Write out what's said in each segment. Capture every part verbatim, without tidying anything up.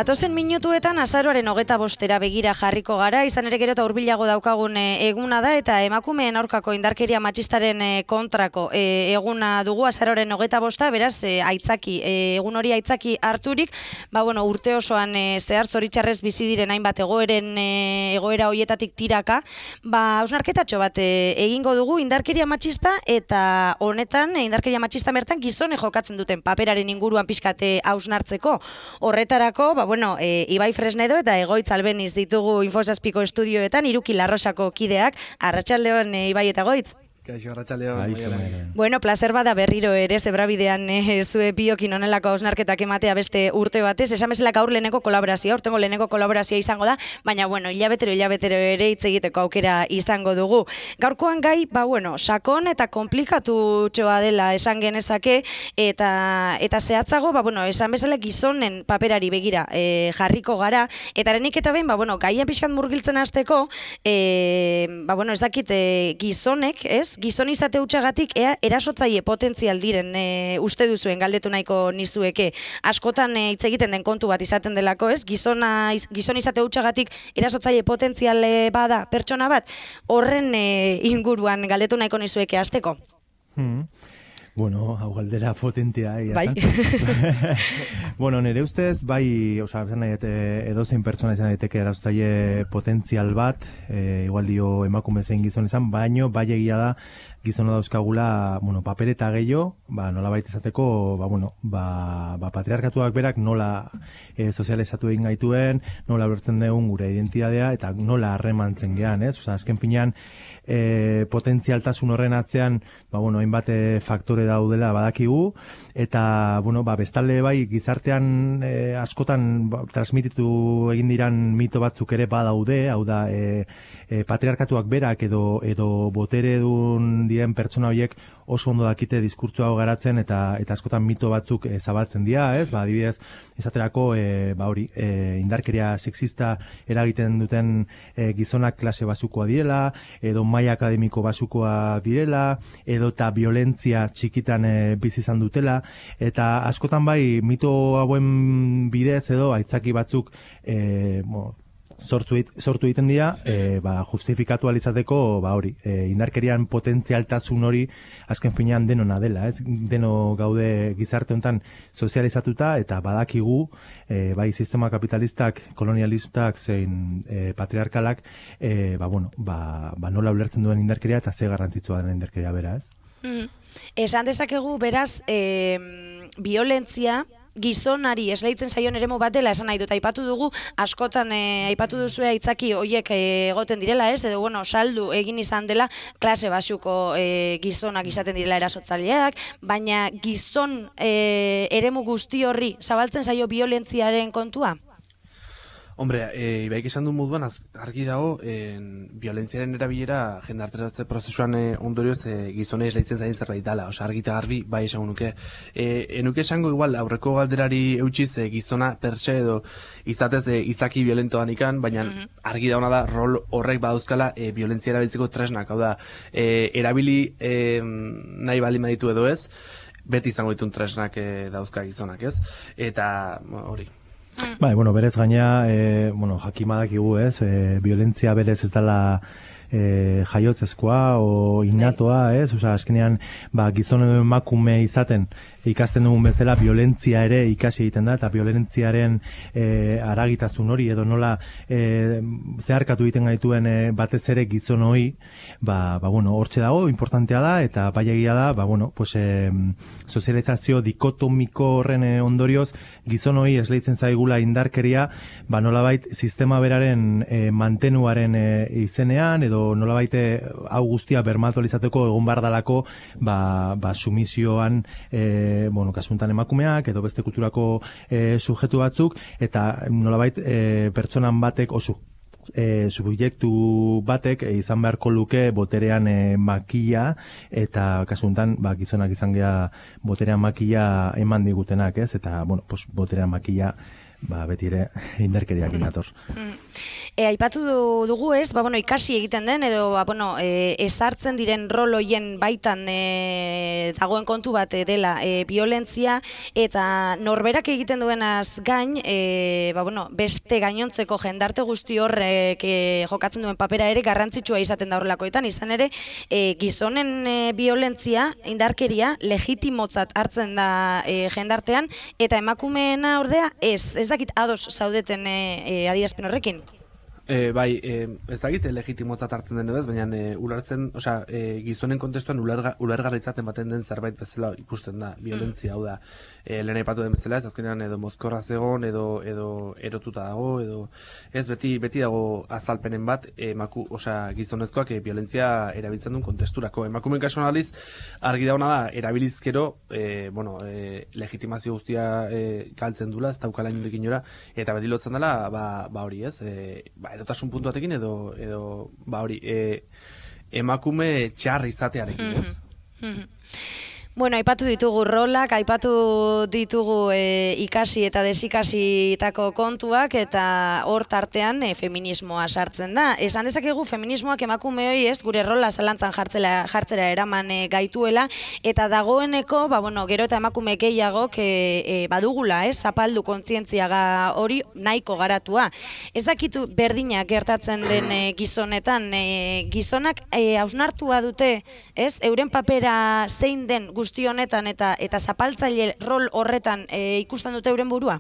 Datozen minutuetan azaroaren hogeta bostera begira jarriko gara, izan ere gero eta hurbilago daukagun eguna da, eta emakumeen aurkako indarkeria matxistaren kontrako eguna dugu azaroaren hogeta bosta, beraz aitzaki, egun hori aitzaki harturik, ba bueno, urte osoan zehar zoritxarrez bizi diren hainbat egoeren egoera hoietatik tiraka, ba hausnarketatxo bat egingo dugu indarkeria matxista, eta honetan indarkeria matxista bertan gizone jokatzen duten paperaren inguruan pixkate hausnartzeko. Horretarako, ba, bueno, e, Ibai Fresnedo eta Egoitz Albeniz ditugu Infosazpiko estudioetan, Iruki Larrosako kideak. Arratsaldeon, e, Ibai eta Egoitz. Kaixo, arratsaldeon. Bueno, placer bada berriro ere, zebrabidean e, zue biokin onelako hausnarketak ematea beste urte batez. Esan bezala gaur leheneko kolaborazioa, urtengo leheneko kolaborazioa izango da, baina, bueno, hilabetero, hilabetero ere hitz egiteko aukera izango dugu. Gaurkoan gai, ba, bueno, sakon eta komplikatu txoa dela esan genezake, eta eta zehatzago, ba, bueno, esan bezala gizonen paperari begira e, jarriko gara, eta arenik eta behin, ba, bueno, gaian pixkat murgiltzen hasteko, e, ba, bueno, ez dakit e, gizonek, ez? Gizon izate hutsagatik ea erasotzaile potentzial diren e, uste duzuen galdetu nahiko nizueke. Askotan hitz e, egiten den kontu bat izaten delako, ez? Gizona, gizon izate hutsagatik erasotzaile potentzial e, bada pertsona bat, horren e, inguruan galdetu nahiko nizueke hasteko. Hmm. Bueno, hau galdera potentea. Bai. Bueno, nire ustez, bai, oza, edozein pertsona izan daiteke erasotzaile potentzial bat, e, igual dio emakume zein gizon izan, baino, bai egia da, gizona dauzkagula, bueno, paper eta gehiago, ba, nola baita izateko, ba, bueno, ba, ba, patriarkatuak berak nola e, sozializatu egin gaituen, nola bertzen dugun gure identidadea, eta nola harremantzen gean, ez? Oza, azken pinean, e, potentzialtasun horren atzean, ba, bueno, hainbat faktore daudela badakigu, eta, bueno, ba, bestalde bai, gizartean e, askotan ba, transmititu egin diran mito batzuk ere badaude, hau da, e, e, patriarkatuak berak edo, edo botere dun diren pertsona horiek oso ondo dakite diskurtso hau garatzen eta eta askotan mito batzuk e, zabaltzen dira, ez? Ba, adibidez, esaterako e, ba hori, e, indarkeria sexista eragiten duten e, gizonak klase basukoa direla, edo maila akademiko basukoa direla, edo eta violentzia txikitan e, bizi izan dutela, eta askotan bai mito hauen bidez edo aitzaki batzuk e, bo, sortu, sortu egiten dira, e, ba, justifikatu alizateko, ba hori, e, indarkerian potentzialtasun hori azken finean denona dela, ez? Deno gaude gizarte honetan sozializatuta eta badakigu, e, bai sistema kapitalistak, kolonialistak zein e, patriarkalak, e, ba, bueno, ba, ba nola ulertzen duen indarkeria eta ze garrantzitsua den indarkeria bera, ez? Mm. Esan dezakegu, beraz, e, violentzia, gizonari esleitzen zaion eremu bat dela esan nahi dut, aipatu dugu, askotan e, aipatu duzue aitzaki hoiek e, egoten direla, ez, edo bueno, saldu egin izan dela klase basuko e, gizonak izaten direla erasotzaileak, baina gizon e, eremu guzti horri zabaltzen zaio violentziaren kontua? Hombre, e, Ibaik esan du moduan argi dago, en, violentziaren erabilera jendarteratze prozesuan e, ondorioz e, gizonei esleitzen zain zerbait dala, oza, argi eta garbi bai esango nuke. E, enuke esango igual aurreko galderari eutxiz e, gizona pertse edo izatez e, izaki violentoan ikan, baina mm-hmm. argi dauna da rol horrek badauzkala e, violentzia erabiltzeko tresnak, hau da, e, erabili e, nahi bali maditu edo ez, beti izango ditun tresnak e, dauzka gizonak, ez? Eta hori. Bai, bueno, berez gaina, e, bueno, jakimadakigu, ez, e, violentzia berez ez dela e, jaiotzezkoa o innatoa, ez, oza, azkenean, ba, gizon edo emakume izaten ikasten dugun bezala, violentzia ere ikasi egiten da, eta violentziaren e, aragitasun hori, edo nola e, zeharkatu egiten gaituen e, batez ere gizon hori, ba, ba, bueno, hortxe dago, importantea da, eta bai egia da, ba, bueno, pues, e, sozializazio dikotomiko horren e, ondorioz, gizon hori esleitzen zaigula indarkeria, ba, nolabait sistema beraren e, mantenuaren e, izenean, edo nolabait hau guztia bermatualizateko egon bardalako, ba, ba, sumisioan, e, bueno, kasuntan emakumeak edo beste kulturako e, sujetu batzuk, eta nolabait e, pertsonan batek oso e, subjektu batek e, izan beharko luke boterean e, makila, eta kasuntan ba, gizonak izan gea boterean makila eman digutenak, ez? Eta, bueno, pues, boterean makila ba, beti ere indarkeriak inator. E, aipatu dugu ez, ba, bueno, ikasi egiten den, edo ba, bueno, e, ezartzen diren rol hoien baitan e, dagoen kontu bat dela e, violentzia, eta norberak egiten duenaz gain, e, ba, bueno, beste gainontzeko jendarte guzti horrek e, jokatzen duen papera ere garrantzitsua izaten da horrelakoetan, izan ere, e, gizonen e, violentzia, indarkeria, legitimotzat hartzen da e, jendartean, eta emakumeena ordea ez, ez dakit ados zaudeten e, e, adierazpen horrekin. E, bai, e, ez dakit legitimotzat hartzen den ez, baina e, ulertzen, osea, e, gizonen kontestuan ulerga, ulergarritzaten baten den zerbait bezala ikusten da, violentzia, hau da, e, lehen aipatu den bezala, ez azkenean edo mozkorra zegon, edo, edo erotuta dago, edo ez beti beti dago azalpenen bat, emaku, osea, gizonezkoak e, violentzia erabiltzen duen kontesturako. Emakumeen kasuan aliz, argi dauna da, erabilizkero, e, bueno, e, legitimazio guztia e, galtzen dula, ez daukala inondik inora, eta beti lotzen dela, ba, ba hori ez, e, ba, erotasun puntu batekin edo, edo ba hori, e, emakume txarri izatearekin, ez? Mm-hmm. Bueno, aipatu ditugu rolak, aipatu ditugu e, ikasi eta desikasitako kontuak, eta hor tartean e, feminismoa sartzen da. Esan dezakegu feminismoak emakumeoi ez gure rola zalantzan jartzela, jartzera eraman e, gaituela, eta dagoeneko, ba, bueno, gero eta emakume gehiagok e, e, badugula, ez, zapaldu kontzientziaga hori nahiko garatua. Ez dakitu berdina gertatzen den e, gizonetan, e, gizonak e, hausnartua dute, ez, euren papera zein den guzti honetan eta eta zapaltzaile rol horretan e, ikusten dute euren burua?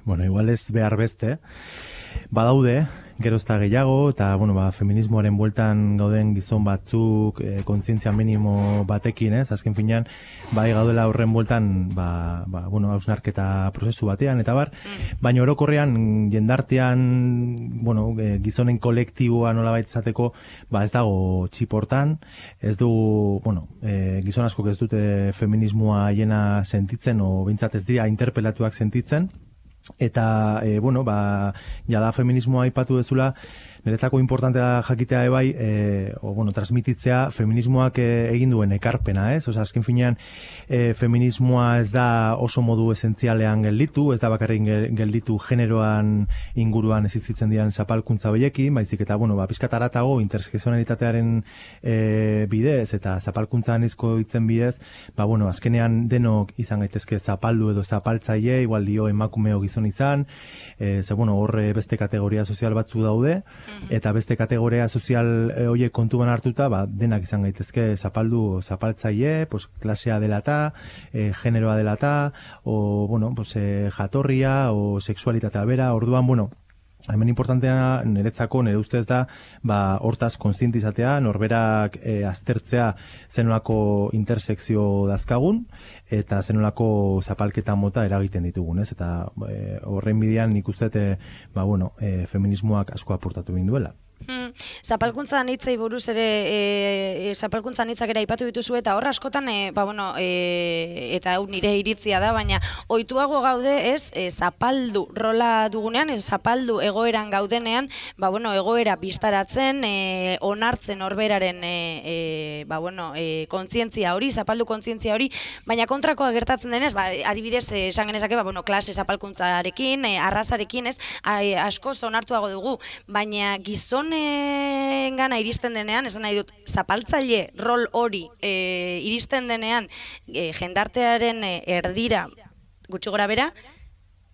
Bueno, igual ez behar beste. Badaude, gerozta gehiago, eta bueno, ba, feminismoaren bueltan gauden gizon batzuk e, kontzientzia minimo batekin, ez? Azken finean, bai gaudela horren bueltan, ba, ba, bueno, hausnarketa prozesu batean, eta bar, mm. baina orokorrean jendartean, bueno, e, gizonen kolektiboa nolabait izateko, ba ez dago txiportan, ez du, bueno, e, gizon askok ez dute feminismoa hiena sentitzen, o bintzat ez dira interpelatuak sentitzen, eta, e, bueno, ba, jada feminismoa aipatu dezula, niretzako importantea da jakitea ebai, e, o, bueno, transmititzea feminismoak e, egin duen ekarpena, ez? Osa, azken finean, e, feminismoa ez da oso modu esentzialean gelditu, ez da bakarrik gelditu generoan inguruan existitzen diren zapalkuntza horiekin, baizik eta, bueno, ba, pizkat haratago intersekzionalitatearen e, bidez, eta zapalkuntza anizko hitzen bidez, ba, bueno, azkenean denok izan gaitezke zapaldu edo zapaltzaile, igual dio emakumeo gizon izan, e, ze, bueno, horre beste kategoria sozial batzu daude, eta beste kategoria sozial horiek kontuan hartuta, ba, denak izan gaitezke zapaldu zapaltzaile, pues, klasea dela eta, e, generoa dela eta, o, bueno, pues, e, jatorria, o sexualitatea bera, orduan, bueno, hemen importantea niretzako, nire ustez da, ba, hortaz kontzientizatea, norberak e, aztertzea zenolako intersekzio dazkagun, eta zenolako zapalketa mota eragiten ditugun, ez? Eta e, horren bidean nik uste, e, ba, bueno, e, feminismoak asko aportatu egin duela. Hmm. Zapalkuntzan hitzei buruz ere, e, zapalkuntzan hitzak ere aipatu dituzu, eta hor askotan, e, ba, bueno, e, eta hau nire iritzia da, baina ohituago gaude ez, e, zapaldu rola dugunean, ez, zapaldu egoeran gaudenean, ba, bueno, egoera biztaratzen, e, onartzen horberaren e, e, ba, bueno, e, kontzientzia hori, zapaldu kontzientzia hori, baina kontrakoa gertatzen denez, ba, adibidez, esan genezake, ba, bueno, klase zapalkuntzarekin, e, arrazarekin, ez, a, e, asko onartuago dugu, baina gizon gana iristen denean, esan nahi dut, zapaltzaile rol hori e, iristen denean e, jendartearen e, erdira gutxi gora bera,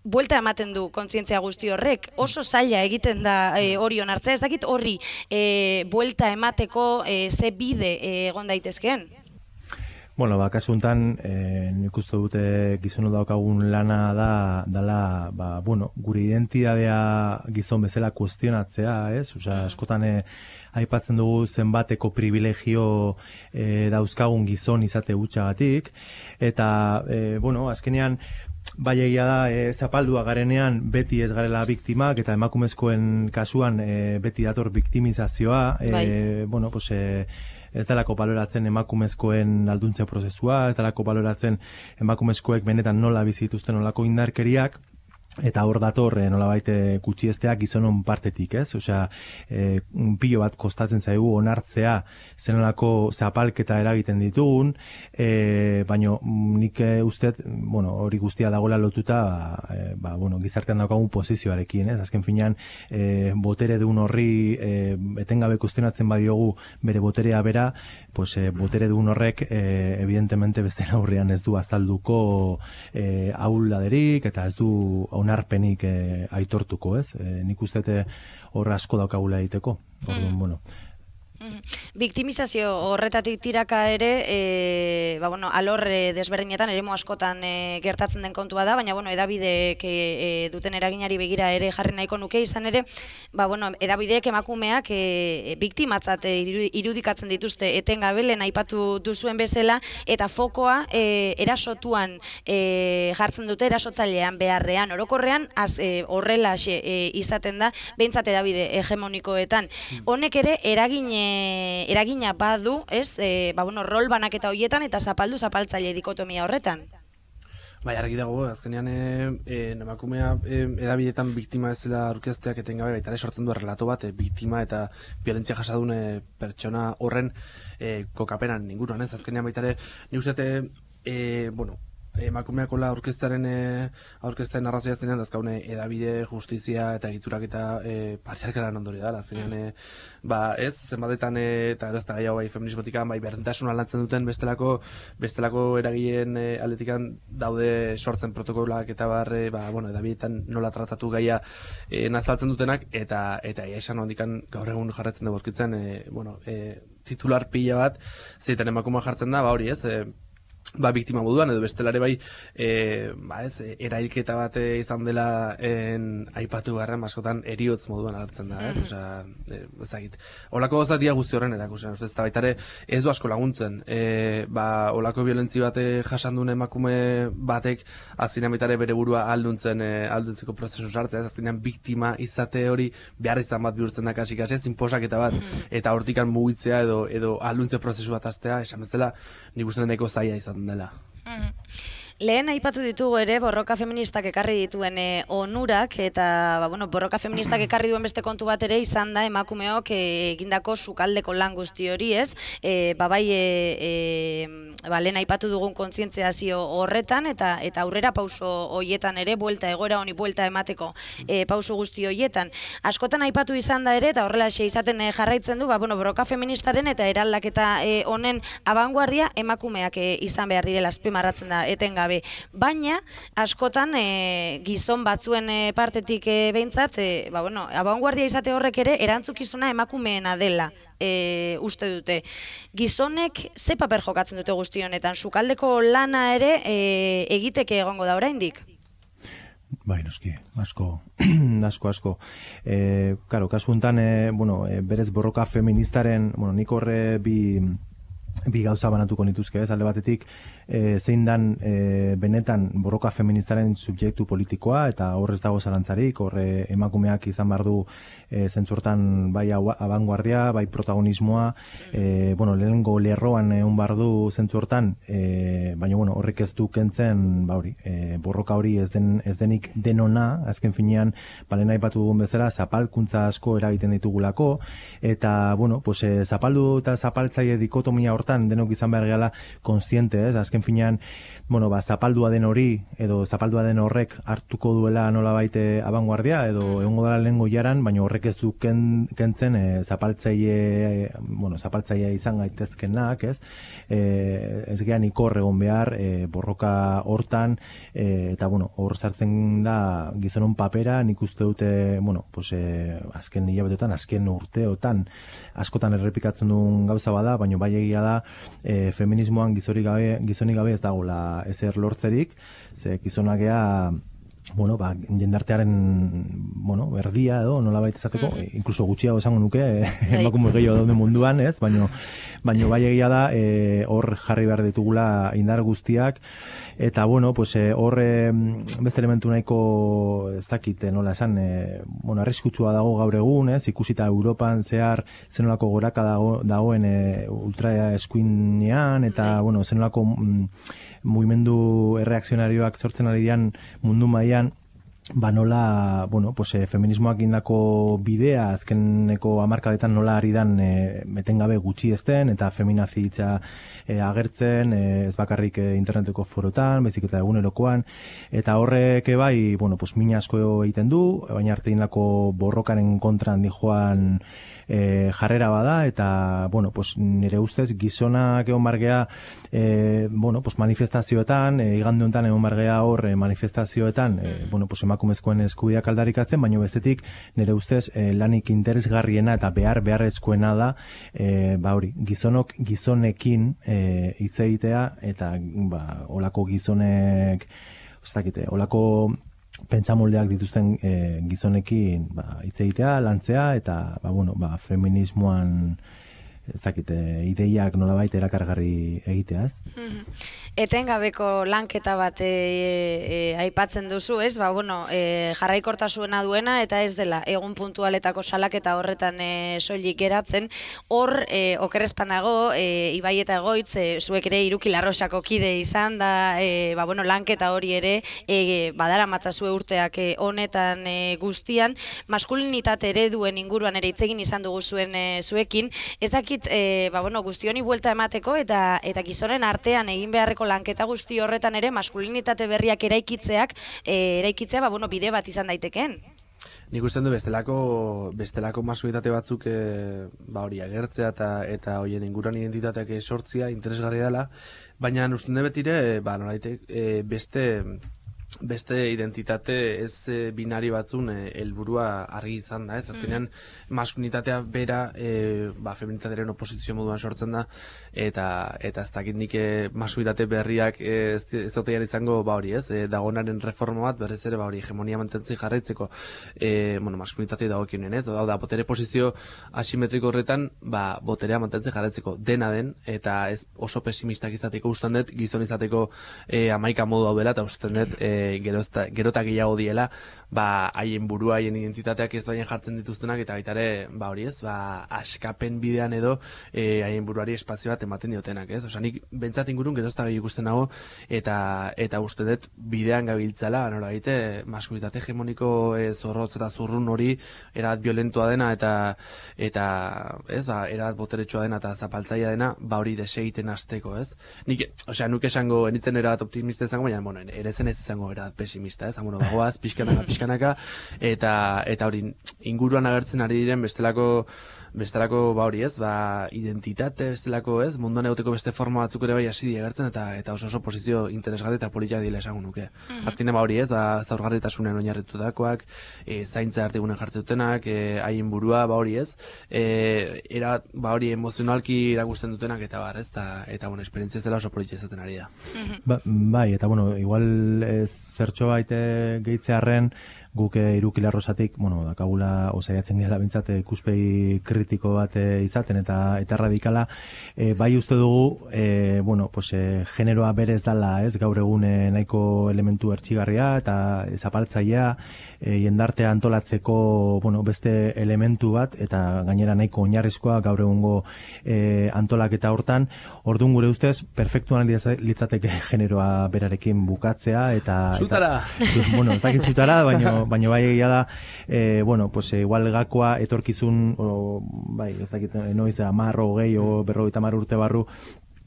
buelta ematen du kontzientzia guzti horrek, oso zaila egiten da e, hori onartzea, ez dakit horri e, buelta emateko e, ze bide e, egon daitezkeen? Bueno, ba, kasu honetan, eh, nik uste dute gizonu daukagun lana da, dala, ba, bueno, gure identidadea gizon bezala kuestionatzea, ez? Osea, askotan eh, aipatzen dugu zenbateko privilegio eh, dauzkagun gizon izate hutsagatik, eta, eh, bueno, azkenean, bai egia da, e, zapaldua garenean beti ez garela biktimak, eta emakumezkoen kasuan e, beti dator biktimizazioa, e, bai. bueno, pues, e, ez dalako baloratzen emakumezkoen alduntze prozesua, ez dalako baloratzen emakumezkoek benetan nola bizituzten nolako indarkeriak, eta hor dator e, nolabait gutxiestea gizonon partetik, ez? Osea, e, pilo bat kostatzen zaigu onartzea zenolako zapalketa eragiten ditugun, e, baino nik e, ustet, bueno, hori guztia dagoela lotuta, e, ba, bueno, gizartean daukagun posizioarekin, ez? Azken finean, e, botere duen horri e, etengabe kuestionatzen badiogu bere boterea bera, pues e, botere duen horrek e, evidentemente beste aurrean ez du azalduko e, ahuldaderik eta ez du onarpenik e, aitortuko, ez? E, nik uste hor asko daukagula egiteko. Orduan, mm. bueno, Biktimizazio horretatik tiraka ere, e, ba, bueno, alor e, desberdinetan, eremu askotan e, gertatzen den kontua da, baina bueno, edabideek e, duten eraginari begira ere jarri nahiko nuke, izan ere, ba, bueno, edabideek emakumeak e, biktimatzat e, irudikatzen dituzte etengabe, lehen aipatu duzuen bezala, eta fokoa e, erasotuan e, jartzen dute, erasotzailean beharrean, orokorrean, az, e, horrela e, izaten da, behintzat edabide hegemonikoetan. Honek ere, eragine eragina badu, ez, e, ba, bueno, rol banaketa horietan eta zapaldu zapaltzaile dikotomia horretan. Bai, argi dago, azkenean e, emakumea e, edabidetan biktima ez zela aurkezteak etengabe, baita ere sortzen du relato bat, e, biktima eta violentzia jasadun e, pertsona horren e, kokapenan inguruan, ez, azkenean baita ere, ni uste, e, bueno, emakumeakola aurkeztaren e, aurkeztaren arrazoia zenean dazkaune edabide, justizia eta egiturak eta e, partzialkaran ondorio da, zenean e, ba ez, zenbatetan e, eta gero ez da gehiago bai feminismotikan, bai berdintasuna lantzen duten bestelako bestelako eragileen e, aldetikan daude sortzen protokolak eta barre, ba, bueno, edabidetan nola tratatu gaia e, nazaltzen dutenak, eta eta esan hondikan gaur egun jarretzen dugu aurkitzen, e, bueno, e, titular pila bat, zeiten emakumea jartzen da, ba hori ez, e, ba, biktima moduan, edo bestelare bai, e, ba ez, erailketa bat izan dela en, aipatu garren, askotan eriotz moduan hartzen da, ez? Osea, e, ezagit. Olako gozatia guzti horren erakusen, ez da baitare ez du asko laguntzen. E, ba, olako violentzi bate jasandun emakume batek azkenean baitare bere burua alduntzen, e, alduntzeko prozesu sartzea, ez azkenean biktima izate hori behar izan bat bihurtzen da kasi kasi, zinposaketa bat, eta hortikan mugitzea edo, edo alduntze prozesu bat astea, esan bezala, nik uste deneko zaila izan dela. Mm. Lehen aipatu ditugu ere borroka feministak ekarri dituen e, onurak, eta ba, bueno, borroka feministak ekarri duen beste kontu bat ere izan da emakumeok e, egindako sukaldeko lan guzti hori, ez? E, ba, bai, e, e, ba, lehen aipatu dugun kontzientziazio horretan, eta eta aurrera pauso hoietan ere, buelta egoera honi buelta emateko e, pauso guzti hoietan. Askotan aipatu izan da ere, eta horrela xe izaten e, jarraitzen du, ba, bueno, borroka feministaren eta eraldaketa e, honen abanguardia emakumeak e, izan behar direla azpimarratzen da etengabe. Baina, askotan e, gizon batzuen e, partetik e, behintzat, e, ba, bueno, abanguardia izate horrek ere erantzukizuna emakumeena dela. E, uste dute. Gizonek ze paper jokatzen dute guzti honetan? Sukaldeko lana ere e, egiteke egongo da oraindik? Bai, noski, asko, asko, asko. E, karo, kasu honetan, e, bueno, e, berez borroka feministaren, bueno, nik horre bi, bi gauza banatuko nituzke, ez, alde batetik, e, zein dan e, benetan borroka feministaren subjektu politikoa, eta horrez dago zalantzarik, horre emakumeak izan behar du e, zentzurtan bai abanguardia, bai protagonismoa, e, bueno, lehenengo lerroan egun behar du zentzurtan, e, baina bueno, horrek ez du kentzen, ba hori, e, borroka hori ez, den, ez denik denona, azken finean, balen aipatu dugun bezala, zapalkuntza asko eragiten ditugulako, eta, bueno, pues, e, zapaldu eta zapaltzaile dikotomia hortan denok izan behar gehala konstiente, ez, azken finean, bueno, ba, zapaldua den hori, edo zapaldua den horrek hartuko duela nola baite abanguardia, edo egongo dela lehengo jaran, baina horrek ez du ken, kentzen e, zapaltzaile, bueno, zapaltzaile izan gaitezkenak, ez? E, ez gehan ikor egon behar, e, borroka hortan, e, eta, bueno, hor sartzen da gizonon papera, nik uste dute, bueno, pues, e, azken hilabetetan, azken urteotan, askotan errepikatzen duen gauza bada, baina bai egia da, e, feminismoan gizonik gabe, gizonik gabe ez dagoela ezer lortzerik, ze gizonak gea, bueno, ba, jendartearen, bueno, erdia edo, nola baita izateko, mm -hmm. inkluso gutxiago esango nuke, emakume gehiago daude munduan, ez, baino, baino bai egia da, e, hor jarri behar ditugula indar guztiak, eta, bueno, pues, hor e, beste elementu nahiko, ez dakit, nola esan, e, bueno, arriskutsua dago gaur egun, ez, ikusita Europan zehar zenolako goraka dago, dagoen e, ultra eskuinean, eta, bueno, zenolako mm, mugimendu erreakzionarioak sortzen ari dian mundu mailan, ba nola, bueno, pues, e, feminismoak indako bidea azkeneko hamarkadetan nola ari dan e, etengabe gutxi ezten eta feminazitza e, agertzen, e, ez bakarrik e, interneteko forotan, baizik eta egunerokoan, eta horrek bai, bueno, pues, min asko egiten du, baina arte indako borrokaren kontran dijoan E, jarrera bada, eta, bueno, pues, nire ustez gizonak egon bargea e, bueno, pues, manifestazioetan, e, igande honetan egon bargea hor e, manifestazioetan, e, bueno, pues, emakumezkoen eskubideak aldarrikatzen, baina bestetik nire ustez e, lanik interesgarriena eta behar beharrezkoena da, e, ba hori, gizonok gizonekin e, hitz egitea, eta ba, olako gizonek, ez dakite, olako pentsamoldeak dituzten e, gizonekin ba, hitz egitea, lantzea, eta ba, bueno, ba, feminismoan ez dakite, ideiak nolabait erakargarri egitea, ez? Mm-hmm. Etengabeko lanketa bat e, e, aipatzen duzu, ez? Ba, bueno, e, jarraikortasuena duena eta ez dela egun puntualetako salaketa horretan e, soilik geratzen. Hor, e, okerrezpanago, e, Ibai eta Egoitz, e, zuek ere Iruki Larrosako kide izan da, e, ba, bueno, lanketa hori ere e, badara matzazue urteak e, honetan e, guztian, maskulinitate ereduen inguruan ere itzegin izan dugu zuen e, zuekin, ezakit E, ba, bueno, guzti honi buelta emateko eta eta gizonen artean egin beharreko lanketa guzti horretan ere maskulinitate berriak eraikitzeak e, eraikitzea ba, bueno, bide bat izan daitekeen. Nik usten du bestelako bestelako maskulitate batzuk e, ba hori agertzea eta eta hoien inguruan identitateak sortzia interesgarria dela, baina usten dut betire ba nolaitek e, beste beste identitate ez e, binari batzun helburua e, argi izan da, ez? Azkenean maskulinitatea bera e, ba, feminitatearen oposizio moduan sortzen da, eta eta ez dakit nik e, maskulitate berriak e, ez, ez otean izango ba hori, ez? E, dagonaren reforma bat berrez ere ba hori hegemonia mantentzen jarraitzeko e, bueno, maskulinitate dagokionen, ez? Hau da, botere posizio asimetriko horretan ba, boterea mantentzen jarraitzeko dena den, eta ez oso pesimistak izateko usten dut, gizon izateko e, amaika modu hau dela, eta usten dut e, gerozta, gerota gehiago diela, ba, haien burua, haien identitateak ez baina jartzen dituztenak, eta baita ere, ba hori ez, ba, askapen bidean edo e, haien buruari espazio bat ematen diotenak, ez? Osa, nik bentsat ingurun gerozta gehi ikusten nago, eta eta uste dut bidean gabiltzala, nora baite, maskulitate hegemoniko e, zorrotz eta zurrun hori erabat violentoa dena, eta eta ez, ba, erabat boteretsua dena, eta zapaltzaia dena, ba hori desegiten hasteko, ez? Nik, osea, nuke esango, enitzen erabat optimista izango, baina, bueno, ere zen ez izango era pesimista, ez? Bueno, bagoaz, pixkanaka, pixkanaka, eta eta hori inguruan agertzen ari diren bestelako bestelako ba hori, ez? Ba, identitate bestelako, ez? Munduan egoteko beste forma batzuk ere bai hasi die agertzen, eta eta oso oso posizio interesgarri eta polita dile esango nuke. Mm-hmm. Azkenean ba hori, ez? Ba, zaurgarritasunen oinarritutakoak, e, zaintza erdigunen jartzen dutenak, e, haien burua ba hori, ez? E, era ba hori emozionalki irakusten dutenak eta bar, ez? Ta, eta bueno, esperientzia ez dela oso polita izaten ari da. Mm-hmm. Ba, bai, eta bueno, igual ez zertxo baite gehitzearren guk Iruki Larrosatik, bueno, dakagula osaiatzen gara bintzat ikuspegi kritiko bat izaten eta eta radikala, e, bai uste dugu, e, bueno, pues, e, generoa berez dala, ez, gaur egun nahiko elementu ertxigarria eta zapaltzailea, e, jendartea antolatzeko, bueno, beste elementu bat, eta gainera nahiko oinarrizkoa gaur egungo e, antolaketa hortan, orduan gure ustez, perfektuan litzateke generoa berarekin bukatzea, eta... Zutara! Eta, bueno, ez dakit zutara, baina baina bai egia da, e, bueno, pues igual gakoa etorkizun, o, bai, ez dakit, noiz, amar, hogei, o berrogeita hamar urte barru,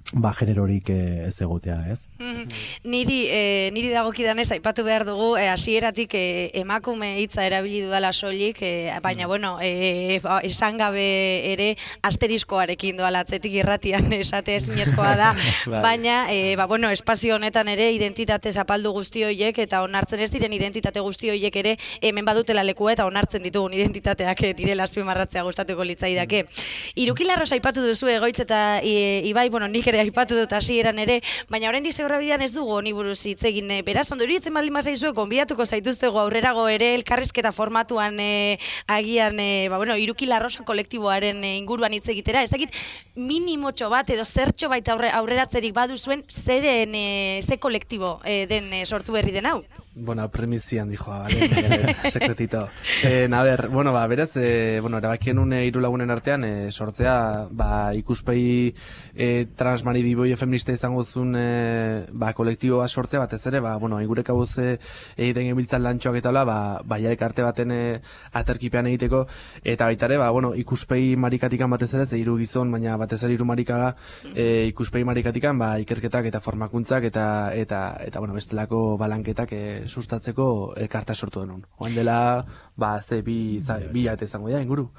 ba, generorik ez egotea, ez? Mm-hmm. Niri, e, niri dagokidanez aipatu behar dugu, e, hasieratik e, emakume hitza erabili dudala soilik, e, baina, mm. bueno, e, ba, esan gabe ere asteriskoarekin doala atzetik irratian esate ezinezkoa da, baina, e, ba, bueno, espazio honetan ere identitate zapaldu guzti horiek, eta onartzen ez diren identitate guzti horiek ere hemen badutela lekua eta onartzen ditugun identitateak e, direla azpimarratzea gustatuko litzaidake. Iruki Larros aipatu duzu Egoitz eta e, Ibai, bueno, nik ere aipatu dut hasieran ere, baina oraindik Zebrabidean ez dugu honi buruz hitz egin. Beraz, ondo iruditzen baldin bazaizue, gonbidatuko zaituztego aurrerago ere elkarrizketa formatuan e, agian, e, ba, bueno, Iruki Larrosa kolektiboaren e, inguruan hitz egitera. Ez dakit minimotxo bat edo zertxo baita aurre, aurreratzerik baduzuen zeren e, ze kolektibo e, den e, sortu berri den hau? Bueno, primizian dijoa, vale, sekretito. Eh, a ber, bueno, ba, berez, eh, bueno, erabakien une hiru lagunen artean, eh, sortzea, ba, ikuspegi eh, trans asmari biboio feminista izango zuen e, ba, kolektibo bat sortzea batez ere, ba, bueno, ingure kabuz e, egiten gebiltzan lantxoak eta hola, ba, baia ekarte baten e, aterkipean egiteko, eta baita ere, ba, bueno, ikuspegi marikatikan batez ere, ze hiru gizon, baina batez ere hiru marikaga, e, ikuspegi marikatikan, ba, ikerketak eta formakuntzak eta, eta, eta bueno, bestelako balanketak e, sustatzeko ekarta sortu denun. Oan dela, ba, ze bi, za, bi jate izango da, inguru.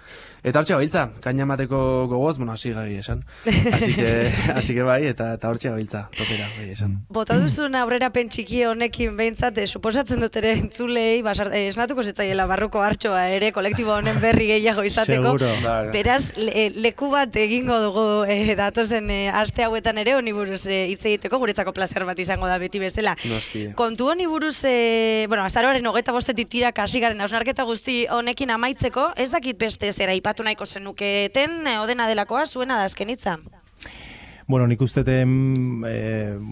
Eta hortxe gabiltza, kaina mateko gogoz, bueno, hasi gai esan. Así que, así que bai, eta, eta hortxe gabiltza, topera, bai esan. Bota duzun aurrerapen txiki honekin behintzat, eh, suposatzen dut ere entzulei, basar, eh, esnatuko zitzaiela barruko hartxoa ere, kolektibo honen berri gehiago izateko. Seguro. Beraz, le, leku bat egingo dugu eh, datozen eh, aste hauetan ere, honi buruz eh, hitz egiteko, guretzako plazer bat izango da beti bezala. Noski. Kontu honi buruz, eh, bueno, azaroaren hogeita bostetik tira kasigaren hausnarketa guzti honekin amaitzeko, ez dakit beste zera ipatu nahiko zenuketen, eh, odena delakoa, zuena da azken hitza. Bueno, nik usteten e,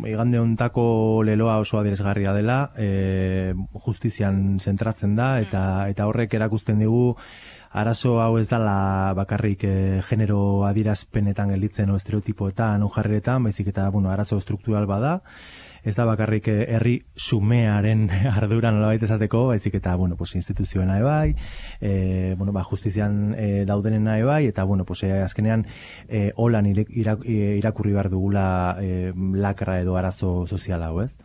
igande hontako leloa oso adierazgarria dela, e, justizian zentratzen da, eta eta horrek erakusten digu arazo hau ez dela bakarrik e, genero adierazpenetan gelditzen o estereotipoetan o jarreretan, baizik eta bueno, arazo struktural bada. Ez da bakarrik herri xumearen ardura nolabait esateko, baizik eta bueno, pues instituzioena ebai, eh bueno, ba justizian e, daudenena ebai eta bueno, pues e, azkenean e, holan irak, irakurri behar dugula e, lakra edo arazo sozial hau, ez?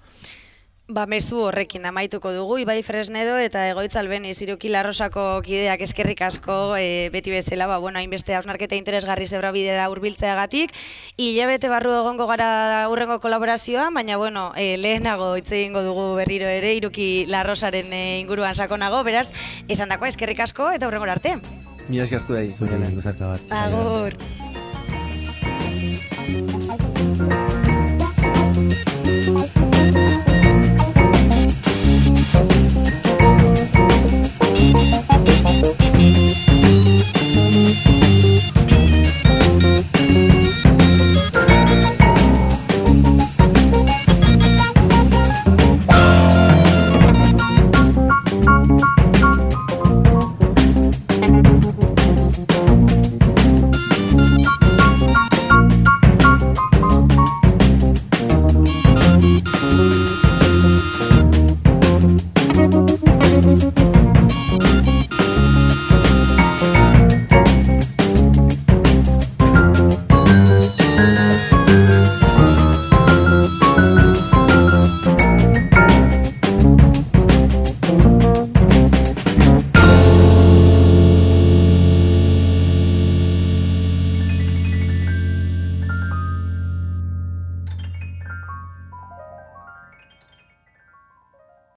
Ba, mezu horrekin amaituko dugu, Ibai Fresnedo eta Egoitz Albeniz Iruki Larrosako kideak eskerrik asko e, beti bezala, ba, bueno, hainbeste hausnarketa interesgarri zebra bidera hurbiltzeagatik, hilabete barru egongo gara hurrengo kolaborazioa, baina bueno, e, lehenago hitz egingo dugu berriro ere Iruki Larrosaren e, inguruan sakonago, beraz, esan dakoa eskerrik asko eta hurrengora arte. Mila eskertu behi. Zure, gozarka bat. Agur.